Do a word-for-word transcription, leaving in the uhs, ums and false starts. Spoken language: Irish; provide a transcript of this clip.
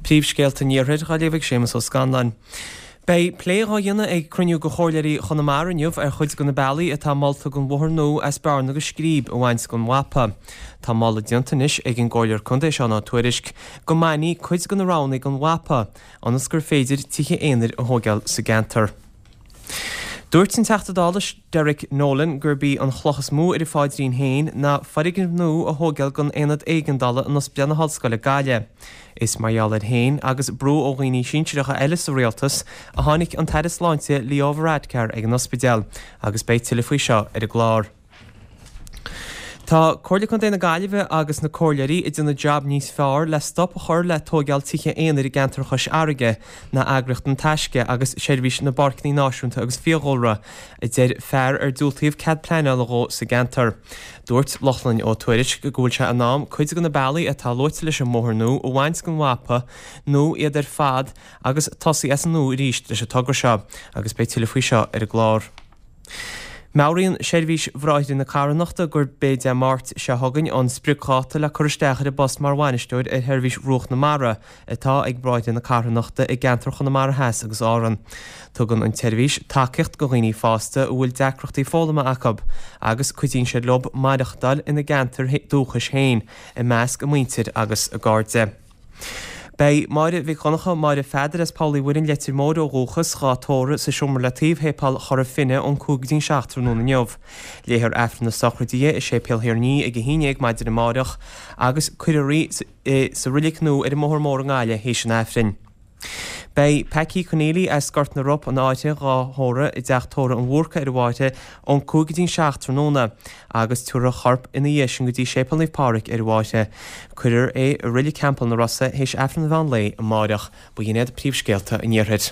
Príomhscéalta an Iarthair dhá léamh ag Séamus Ó Scanláin. Beidh plé dhá dhéanamh ag cruinniú de chomhairleoirí Chonamara inniu ar chuid de na bealaí atá molta don bhóthar nua as Bearna go Scríb a bhaint den mhapa. Tá moladh déanta anois ag an gcomhairleoir contae Seán Ó Tuairisg go mbainfí cuid de na roghanna den mhapa ionas gur féidir tithe aonair a thógáil sa gceantar. Dúirt an Teachta Dála Derek Nolan gurb í an chloch is mó ar a phaidrín féin ná foirgneamh nua a thógáil don aonad éigeandála in Ospidéal na hOllscoile Gaillimh. Is mar gheall air féin agus brú ó dhaoine sinsearacha eile sa rialtas a tháinig an tAire Sláinte Leo Varadkar ag an ospidéal agus beidh tuilleadh faoi seo ar an gclár. Tá Comhairle Contae na Gaillimhe agus na comhairleoirí ag déanamh jab níos fearr le stop a chur le tógáil tithe aonair i gceantar Chois Fharraige ná eagraíocht An Taisce agus Seirbhís na bPáirceanna Náisiúnta agus Fiadhúlra, a deir fear ar diúltaíodh cead pleanála dhó sa gceantar. Dúirt Lochlainn Ó Tuairisg go bhfuil sé in am cuid de na bealaí atá luaite leis an mbóthar nua a bhaint den mhapa nó iad ar fad agus tosaí as an nua arís leis an togra seo agus beidh tuilleadh faoi seo ar an gclár. Meabhraíonn Seirbhís Bhráithre na Carthanachta gurb é Dé Máirt seo chugainn an spriocdháta le cur isteach ar an bpost mar bhainisteoir ar Sheirbhís Bhruach na Mara atá ag Bráithre na Carthanachta i gceantar Chonamara Theas agus Árann. Tugann an tseirbhís tacaíocht do dhaoine fásta a bhfuil deacrachtaí foghlama acu agus cuidíonn siad leo maireachtáil ina gceantar dúchais féin i measc a muintir agus a gcairde. Beidh Máire Mhic Dhonncha, Máire Pheadair as Poll Uí Mhuirinn, Leitir Móir ó dhúchas, dhá tórramh sa seomra le taobh Shéipéal Chora Finne ón cúig go dtí an seacht tráthnóna inniu. Léifear Aifreann na sochraide di i Séipéal Thír an Fhia ag a haon déag maidin amáireach agus cuirfear í sa reilig nua ar an mBóthar Mór i nGaillimh théis an Aifrinn. Beidh Packie Conneely as Gort na Rop, an Fháirche, dhá thórramh i dteach tórraimh an Bhúrca ar an bhFáirche ón cúig go dtí an seacht tráthnóna agus tabharfar a chorp ina dhiaidh sin go dtí Séipéal Naomh Pádraig ar an bhFáirche. Cuirfear é i Reilig Theampall na Rosa théis Aifreann an Mheán Lae amáireach. Ba shin iad príomhscéalta an Iarthair.